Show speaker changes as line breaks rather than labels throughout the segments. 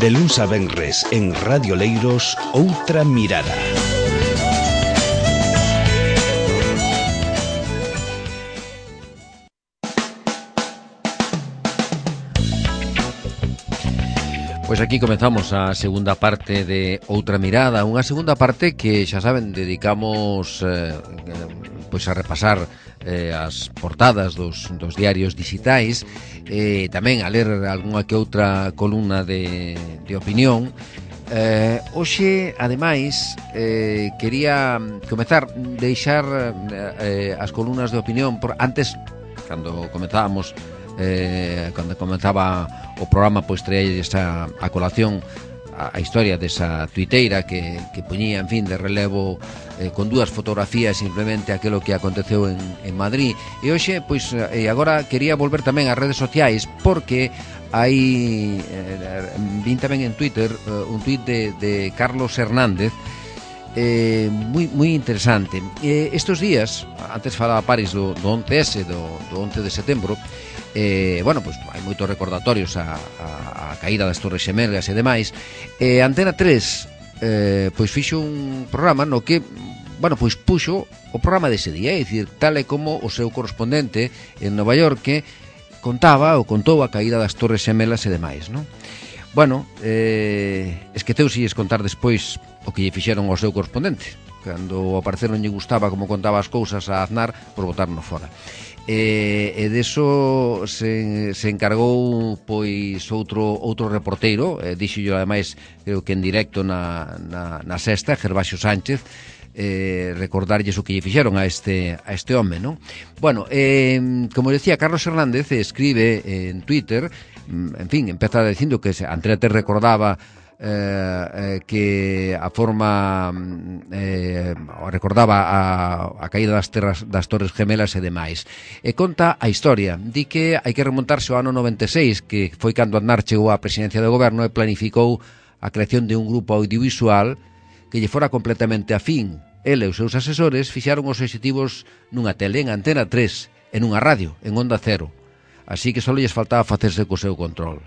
De luns a venres en Radio Leiros, Outra Mirada.
Pois aquí comezamos a segunda parte de Outra Mirada, unha segunda parte que, xa saben, dedicamos pois a repasar as portadas dos diarios digitais, tamén a ler algunha que outra columna de opinión. Hoxe, ademais, quería comezar, deixar as columnas de opinión por antes, cando comenzábamos, cando comenzaba o programa, pois traía a colación a historia desa tuiteira que poñía, en fin, de relevo con dúas fotografías simplemente aquilo que aconteceu en Madrid. E hoxe, pois, agora quería volver tamén ás redes sociais, porque hai vin tamén en Twitter un tuit de Carlos Hernández moi interesante. Estes días, antes falaba Paris do 11S, do 11 de setembro, bueno, pois hai moitos recordatorios a caída das Torres Xemelgas e demais. Antena 3 pois fixo un programa no que, bueno, pois puxo o programa dese día, é dicir, tal e como o seu correspondente en Nova York que contou a caída das Torres Xemelas e demais, non? Bueno, esqueceuselles contar despois o que lle fixeron ao seu correspondente. Cando ao parecer non lle gustaba como contaba as cousas a Aznar, por botarno fora. E deso se encargou pois outro reporteiro, dixo ademais, creo que en directo na Sexta, Gervasio Sánchez, recordarlles o que lle fixeron a este home, non? Bueno, como decía, Carlos Hernández escribe en Twitter, en fin, empeza dicindo que Antena 3 recordaba que a forma recordaba a caída das Torres Gemelas e demais, e conta a historia. Di que hai que remontarse ao ano 96, que foi cando Aznar chegou á presidencia do goberno e planificou a creación de un grupo audiovisual que lle fora completamente afín. Ele e os seus asesores fixaron os obxectivos nunha tele, en Antena 3, en unha radio, en Onda Cero, así que só lles faltaba facerse co seu control.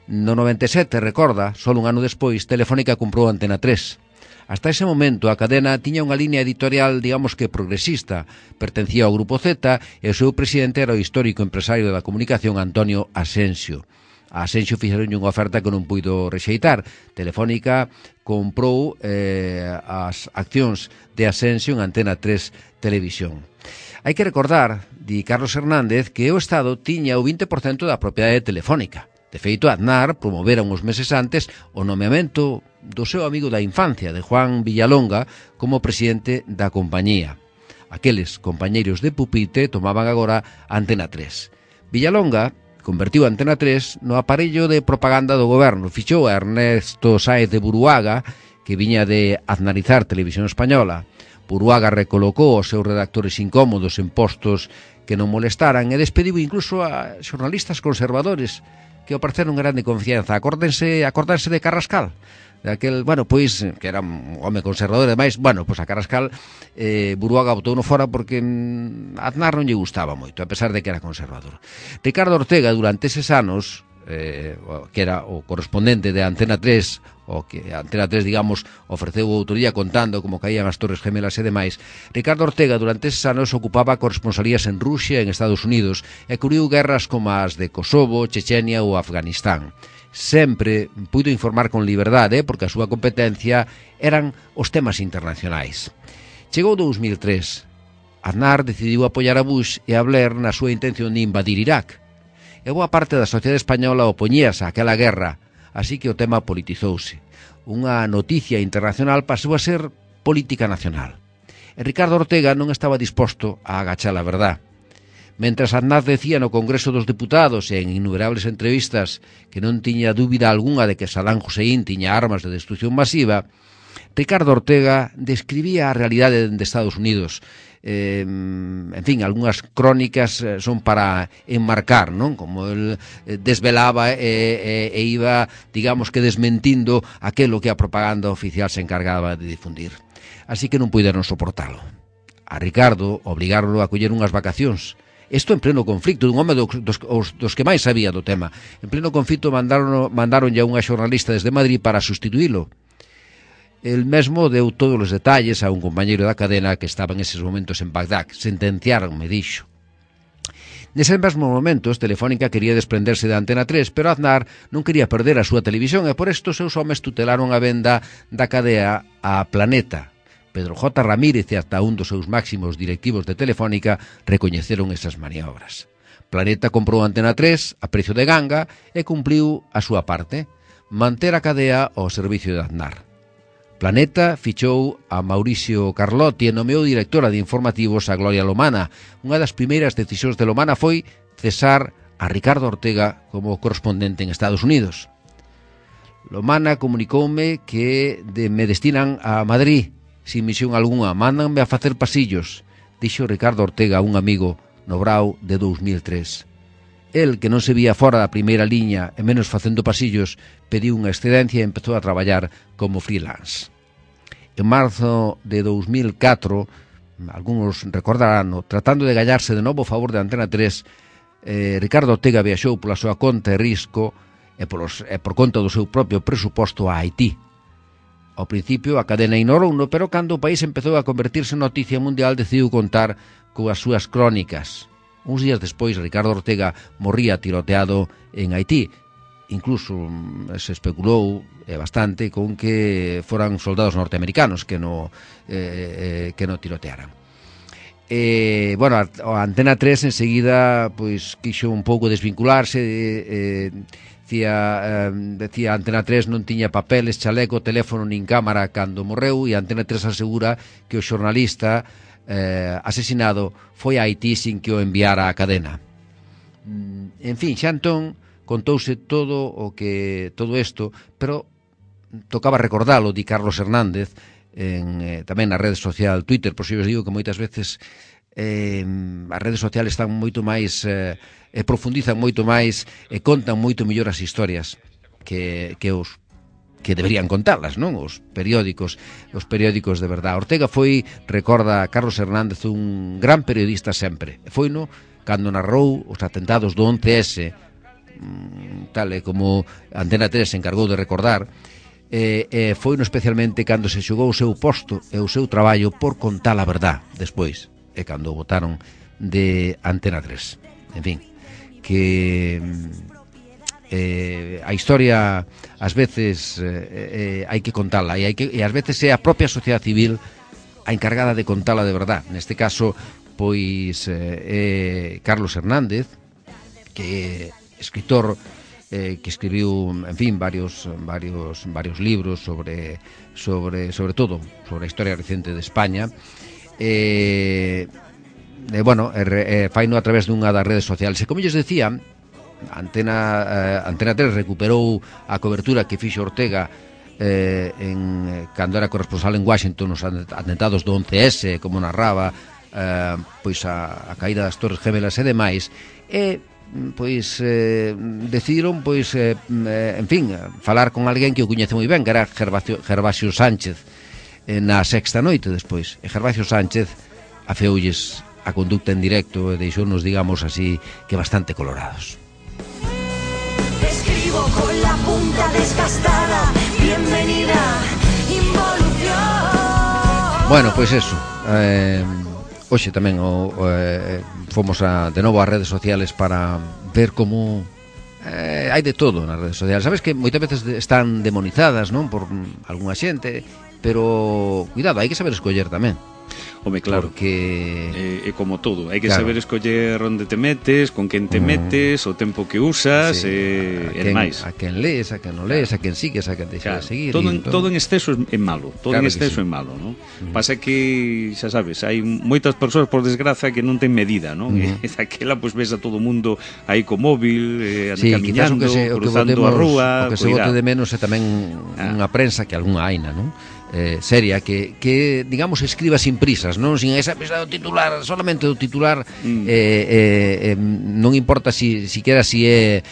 No 97, recorda, só un ano despois, Telefónica comprou Antena 3. Hasta ese momento, a cadena tiña unha línea editorial, digamos que progresista, pertencía ao Grupo Z, e o seu presidente era o histórico empresario da comunicación Antonio Asensio. A Asensio fixeron unha oferta que non puido rexeitar. Telefónica comprou as accións de Asensio en Antena 3 Televisión. Hai que recordar, di Carlos Hernández, que o Estado tiña o 20% da propiedade Telefónica. De feito, Aznar promovera uns meses antes o nomeamento do seu amigo da infancia, de Juan Villalonga, como presidente da compañía. Aqueles compañeiros de pupitre tomaban agora Antena 3. Villalonga convertiu Antena 3 no aparello de propaganda do goberno. Fichou a Ernesto Sáez de Buruaga, que viña de aznarizar Televisión Española. Buruaga recolocou os seus redactores incómodos en postos que non molestaran e despediu incluso a xornalistas conservadores que ao parecer non eran de confianza. Acordanse de Carrascal, daquel, bueno, pois, que era un home conservador, e demais. Bueno, pois a Carrascal Buruaga botou no fora porque Aznar non lle gustaba moito, a pesar de que era conservador. Ricardo Ortega, durante eses anos, que era o correspondente de Antena 3, o que Antena 3, digamos, ofreceu outro día contando como caían as Torres Gemelas e demais. Ricardo Ortega durante eses anos ocupaba corresponsalías en Rusia e en Estados Unidos e cubriu guerras como as de Kosovo, Chechenia ou Afganistán. Sempre puido informar con liberdade porque a súa competencia eran os temas internacionais. Chegou 2003. Aznar decidiu apoiar a Bush e a Blair na súa intención de invadir Irak. E boa parte da sociedade española opoñíase a aquela guerra, así que o tema politizouse. Unha noticia internacional pasou a ser política nacional. E Ricardo Ortega non estaba disposto a agachar a verdad. Mentras Aznar decía no Congreso dos Deputados e en innumerables entrevistas que non tiña dúbida algunha de que Saddam Hussein tiña armas de destrucción masiva, Ricardo Ortega describía a realidade de Estados Unidos. En fin, algunhas crónicas son para enmarcar, non? Como el desvelaba e iba, digamos que desmentindo aquelo que a propaganda oficial se encargaba de difundir. Así que non puideron soportalo. A Ricardo obligaron a coller unhas vacacións Isto en pleno conflicto, dun home dos que máis sabía do tema. En pleno conflicto mandaronlle a unha xornalista desde Madrid para sustituílo. El mesmo deu todos os detalles a un compañeiro da cadena que estaba en eses momentos en Bagdad. Sentenciaron, me dixo. Neses mesmos momentos, Telefónica quería desprenderse de Antena 3, pero Aznar non quería perder a súa televisión e por isto os seus homes tutelaron a venda da cadea a Planeta. Pedro J. Ramírez e ata un dos seus máximos directivos de Telefónica recoñeceron esas maniobras. Planeta comprou Antena 3 a precio de ganga e cumpliu a súa parte, manter a cadea ao servicio de Aznar. Planeta fichou a Mauricio Carlotti e nomeou directora de informativos a Gloria Lomana. Unha das primeiras decisións de Lomana foi cesar a Ricardo Ortega como correspondente en Estados Unidos. Lomana comunicoume que me destinan a Madrid sin misión algunha, mándanme a facer pasillos, dixo Ricardo Ortega a un amigo no Brau de 2003. El, que non se vía fora da primeira liña e menos facendo pasillos, pediu unha excedencia e empezou a traballar como freelance. En marzo de 2004, algúns recordarán, tratando de gallarse de novo a favor de Antena 3, Ricardo Ortega viaxou pola súa conta e risco e por conta do seu propio presuposto a Haití. Ao principio a cadena ignorouno, pero cando o país empezou a convertirse en noticia mundial decidiu contar coas súas crónicas. Uns días despois, Ricardo Ortega morría tiroteado en Haití. Incluso se especulou bastante con que foran soldados norteamericanos que no tirotearan. Bueno, a Antena 3 enseguida pois quixo un pouco desvincularse, decía Antena 3 non tiña papeles, chaleco, teléfono nin cámara cando morreu, e Antena 3 asegura que o xornalista asesinado foi a Haití sin que o enviara a cadena. En fin, xa entón contouse todo isto, pero tocaba recordalo, di Carlos Hernández, tamén na rede social Twitter, por si os digo que moitas veces as redes sociales están moito máis profundizan moito máis e contan moito mellor as historias que deberían contarlas, non? Os periódicos de verdad. Ortega foi, recorda Carlos Hernández, un gran periodista sempre. Foino cando narrou os atentados do 11S, tal e como Antena 3 se encargou de recordar, foino especialmente cando se xogou o seu posto e o seu traballo por contar a verdad despois, e cando o botaron de Antena 3. En fin, que a historia ás veces hai que contala e ás veces é a propia sociedade civil a encargada de contala de verdad. Neste caso, pois Carlos Hernández, que escritor que escribiu, en fin, varios libros sobre a historia recente de España, faino a través dunha das redes sociales. E como lles decía, Antena 3 recuperou a cobertura que fixo Ortega cando era corresponsal en Washington nos atentados do 11S, como narraba pois a caída das Torres Gemelas e demais, e pois decidiron en fin, falar con alguén que o coñece moi ben, que era Gervasio Sánchez, na Sexta Noite despois, e Gervasio Sánchez afeoulles a conducta en directo e deixounos, digamos así, que bastante colorados. Escribo con la punta desgastada, bienvenida involución. Bueno, pois eso, hoxe tamén fomos de novo ás redes sociales para ver como hai de todo nas redes sociales. Sabes que moitas veces están demonizadas, non, por algunha xente, pero cuidado, hai que saber escoller tamén.
Home, claro,
porque
é como todo, hai que saber escoller onde te metes, con quen te metes, o tempo que usas, e demais.
A quen lees, a quen non lees, a quen sigues, a quen deixas de seguir.
Todo en exceso é malo, todo en exceso é malo, non? Pasa que, xa sabes, hai moitas persoas, por desgraza, que non ten medida, non? E daquela, pois, ves a todo mundo aí co móvil, camiñando, cruzando a rúa.
O que se bote de menos é tamén unha prensa que algunha haina, non? seria, que digamos escriba sin prisas, non sin esa prisa do titular, solamente do titular. Non importa si é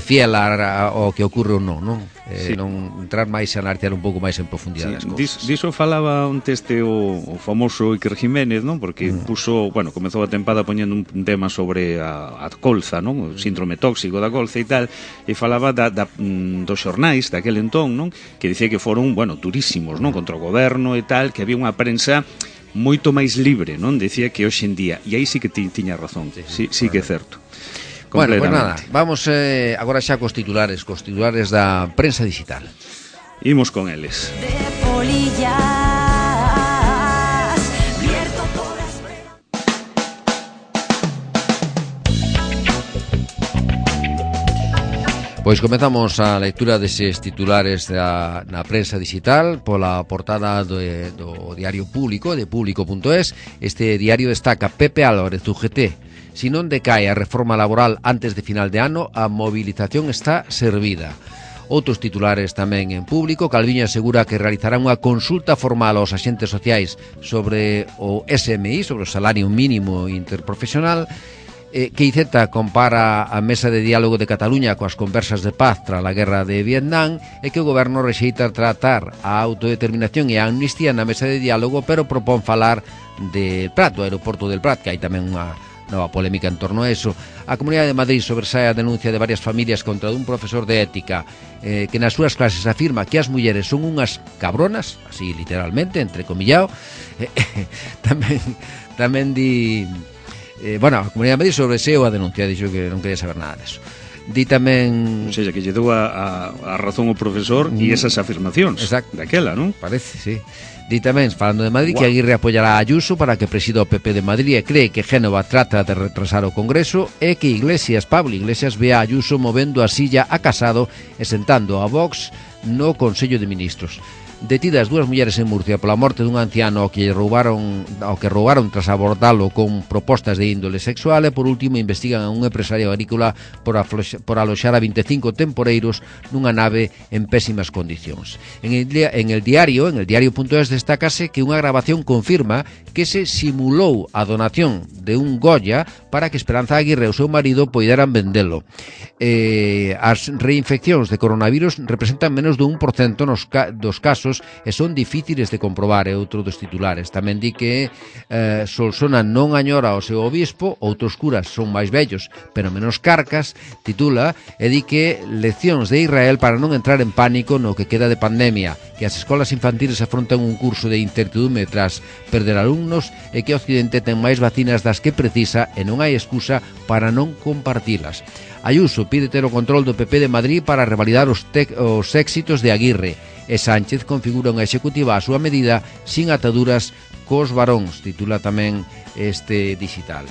fiel ao que ocorre ou non. Non entrar máis e analizar un pouco máis en profundidade as cousas.
Diso falaba un teste o famoso Iker Jiménez, non? Porque comezou a tempada poñendo un tema sobre a colza, non? O síndrome tóxico da colza e tal, e falaba dos xornais daquel entón, non? Que dicía que foron, durísimos, non? Contra o goberno e tal, que había unha prensa moito máis libre, non? Decía que hoxe en día, e aí sí que tiña razón, sí que é certo.
Bueno, pues nada, vamos agora xa cos titulares da prensa digital.
Imos con eles. Pois comezamos a lectura deses titulares na prensa digital pola portada do diario Público, de público.es. Este diario destaca: Pepe Álvarez, UGT. Si non decae a reforma laboral antes de final de ano, a movilización está servida. Outros titulares tamén en Público. Calviño asegura que realizará unha consulta formal aos axentes sociais sobre o SMI, sobre o salario mínimo interprofesional. QIZ compara a mesa de diálogo de Cataluña coas conversas de paz tras a guerra de Vietnam, e que o goberno rexeita tratar a autodeterminación e a amnistía na mesa de diálogo, pero propón falar del Prat, do aeroporto del Prat, que hai tamén unha nova polémica en torno a eso. A Comunidade de Madrid sobresae a denuncia de varias familias contra un profesor de ética que nas súas clases afirma que as mulleres son unhas cabronas, así literalmente, entrecomillado. Tamén di... a Comunidade de Madrid sobresaeu a denuncia, dixo que non quería saber nada deso. Di tamén... O sea, que lle dou a razón o profesor e esas afirmacións.
Exacto.
Daquela, non?
Parece, sí. Di tamén, falando de Madrid, que Aguirre apoyará a Ayuso para que presida o PP de Madrid e cree que Génova trata de retrasar o Congreso, e que Pablo Iglesias ve a Ayuso movendo a silla a Casado e sentando a Vox no Consello de Ministros. Detidas dúas mulleres en Murcia pola morte dun anciano ao que roubaron tras abordalo con propostas de índole sexual, e por último investigan a un empresario agrícola por aloxar a 25 temporeiros nunha nave en pésimas condicións. En el diario.es destácase que unha grabación confirma que se simulou a donación de un Goya para que Esperanza Aguirre e o seu marido poideran vendelo. As reinfeccións de coronavirus representan menos do 1% dos casos e son difíciles de comprobar, é outro dos titulares. Tamén di que Solsona non añora o seu obispo, outros curas son máis vellos pero menos carcas, titula, e di que leccións de Israel para non entrar en pánico no que queda de pandemia, que as escolas infantiles afrontan un curso de incertidumbre tras perder alumnos, e que o Occidente ten máis vacinas das que precisa e non hai excusa para non compartilas. Ayuso pide ter o control do PP de Madrid para revalidar os éxitos de Aguirre, e Sánchez configura unha executiva a súa medida sin ataduras cos varóns, titula tamén este digital.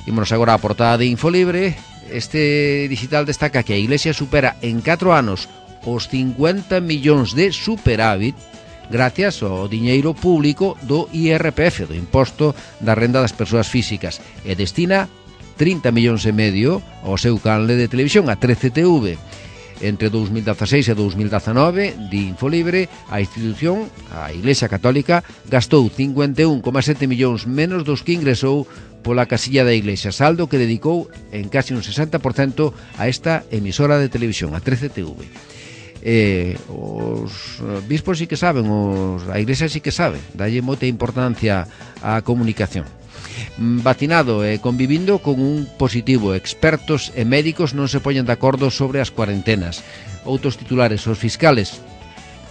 Ímonos agora á portada de Infolibre. Este digital destaca que a Iglesia supera en 4 anos os 50 millóns de superávit gracias ao diñeiro público do IRPF, do Imposto da Renda das Persoas Físicas, e destina 30 millóns e medio ao seu canle de televisión, a 13TV. Entre 2016 e 2019, di Infolibre, a institución, a Iglesia Católica, gastou 51,7 millóns menos dos que ingresou pola casilla da Iglesia, saldo que dedicou en casi un 60% a esta emisora de televisión, a 13TV. Os bispos sí que saben, a Iglesia sí que sabe, dalle moita importancia á comunicación. Vacinado e convivindo con un positivo, expertos e médicos non se poñen de acordo sobre as cuarentenas. Outros titulares: os fiscales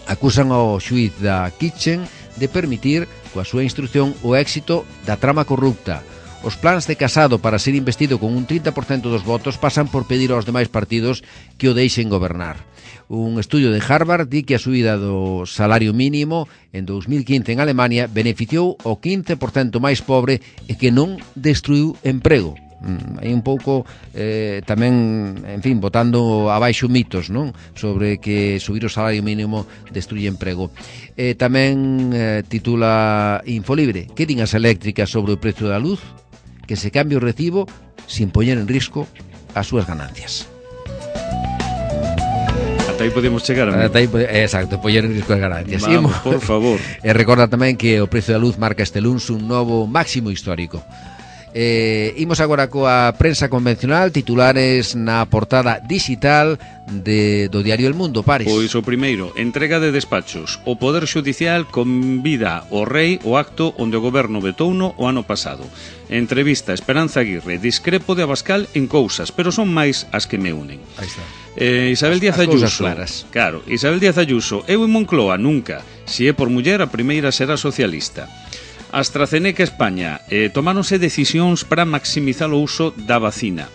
acusan ao xuíz da Kitchen de permitir, coa súa instrucción, o éxito da trama corrupta. Os plans de Casado para ser investido con un 30% dos votos pasan por pedir aos demais partidos que o deixen gobernar. Un estudio de Harvard di que a subida do salario mínimo en 2015 en Alemania beneficiou o 15% máis pobre e que non destruiu emprego. Hai un pouco tamén, en fin, botando abaixo mitos, non? Sobre que subir o salario mínimo destruye emprego. Tamén titula Infolibre: que din as eléctricas sobre o prezo da luz? Que se cambie o recibo sin poñer en risco as súas ganancias.
Ata aí podemos chegar, amigo.
Exacto, poñer en risco as ganancias.
Vamos, por favor.
E recorda tamén que o precio da luz marca este luns un novo máximo histórico. Imos agora coa prensa convencional, titulares na portada digital do diario El Mundo, Pares.
Pois o primeiro, entrega de despachos. O Poder Xudicial convida o Rei ao acto onde o goberno vetouno o ano pasado. Entrevista Esperanza Aguirre, discrepo de Abascal en cousas, pero son máis as que me unen.
Aí está.
Isabel Díaz Ayuso, claro, Isabel Díaz Ayuso, eu en Moncloa nunca, se é por muller a primeira será socialista. AstraZeneca España, tomáronse decisións para maximizar o uso da vacina.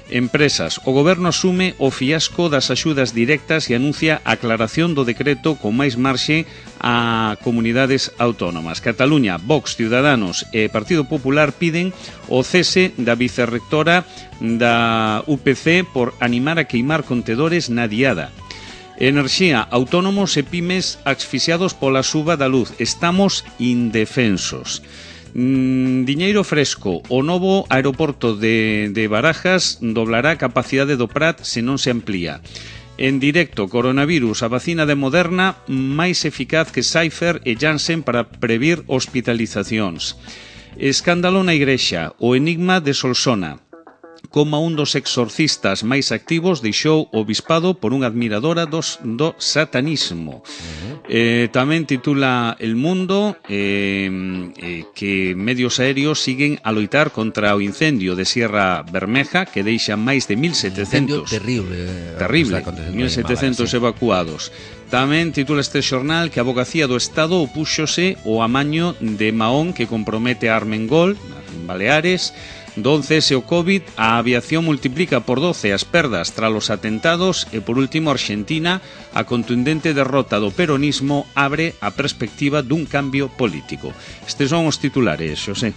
Empresas, o goberno asume o fiasco das axudas directas e anuncia a aclaración do decreto con máis marxe a comunidades autónomas. Cataluña, Vox, Ciudadanos e Partido Popular piden o cese da vicerrectora da UPC por animar a queimar contedores na diada. Enerxía, autónomos e pymes asfixiados pola suba da luz. Estamos indefensos. Diñeiro fresco, o novo aeroporto de Barajas doblará a capacidade do Prat se non se amplía. En directo, coronavirus, a vacina de Moderna máis eficaz que Pfizer e Janssen para previr hospitalizacións. Escándalo na Igrexa, o enigma de Solsona. Como un dos exorcistas máis activos deixou o bispado por unha admiradora do satanismo. Tamén titula El Mundo que medios aéreos siguen a loitar contra o incendio de Sierra Bermeja que deixa máis de 1.700 terrible 1.700 evacuados. Tamén titula este xornal que a Avogacía do Estado opúxose ao amaño de Mahón que compromete a Armengol en Baleares. Do 11S o COVID, a aviación multiplica por 12 as perdas tras os atentados e, por último, Argentina, a contundente derrota do peronismo abre a perspectiva dun cambio político. Estes son os titulares, Xosé.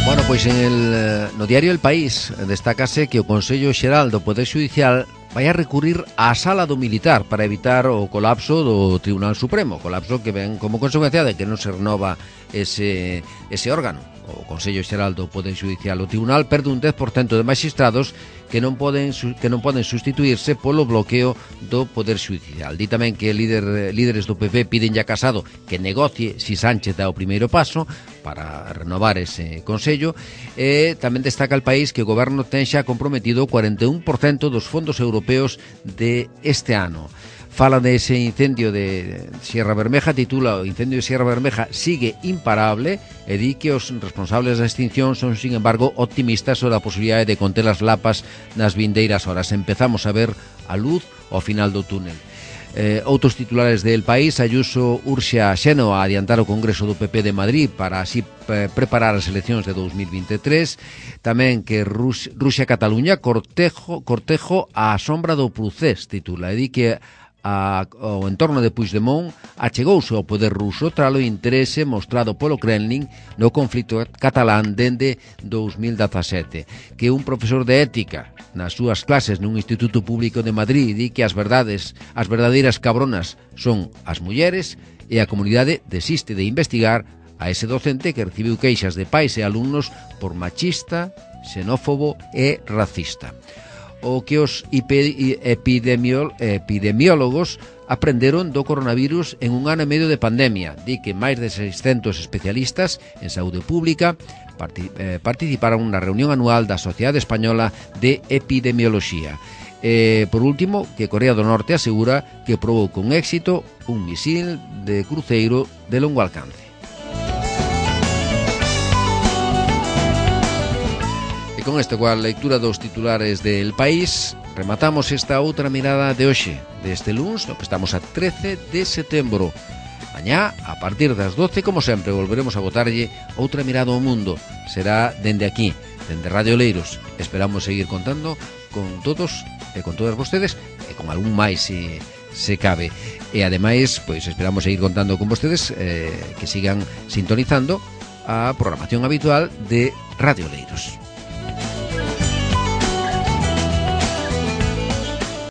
Bueno, pois no diario El País destácase que o Consello Xeral do Poder Xudicial vai a recurrir á Sala do Militar para evitar o colapso do Tribunal Supremo, colapso que ven como consecuencia de que non se renova ese órgano. O Consello Xeral do Poder Xudicial, o Tribunal perde un 10% de magistrados que non poden sustituirse polo bloqueo do Poder Xudicial. Di tamén que líderes do PP piden a Casado que negocie si Sánchez dá o primeiro paso para renovar ese Consello. E tamén destaca El País que o Goberno ten xa comprometido o 41% dos fondos europeos de este ano. Fala de ese incendio de Sierra Bermeja, titula o incendio de Sierra Bermeja sigue imparable e di que os responsables da extinción son, sin embargo, optimistas sobre a posibilidade de conter as lapas nas vindeiras horas. Empezamos a ver a luz ao final do túnel. Outros titulares del País, Ayuso urxe a Xeno a adiantar o Congreso do PP de Madrid para así preparar as eleccións de 2023. Tamén que Rusia-Cataluña cortejo á sombra do Procés, titula, e di que o entorno de Puigdemont achegouse ao poder ruso tras o interese mostrado polo Kremlin no conflito catalán dende 2017, que un profesor de ética nas súas clases nun instituto público de Madrid di que as verdadeiras cabronas son as mulleres e a comunidade desiste de investigar a ese docente que recibiu queixas de pais e alumnos por machista, xenófobo e racista. O que os epidemiólogos aprenderon do coronavirus en un ano e medio de pandemia. Di que máis de 600 especialistas en saúde pública participaron na reunión anual da Sociedade Española de Epidemioloxía. Por último, que Corea do Norte asegura que probou con éxito un misil de cruceiro de longo alcance. E con esta coa lectura dos titulares del País rematamos esta outra mirada de hoxe, deste luns, no que estamos a 13 de setembro. Mañá, a partir das 12, como sempre, volveremos a botarlle outra mirada ao mundo. Será dende aquí, dende Radio Leiros. Esperamos seguir contando con todos e con todas vostedes e con algún máis se cabe. E ademais, pois esperamos seguir contando con vostedes que sigan sintonizando a programación habitual de Radio Leiros.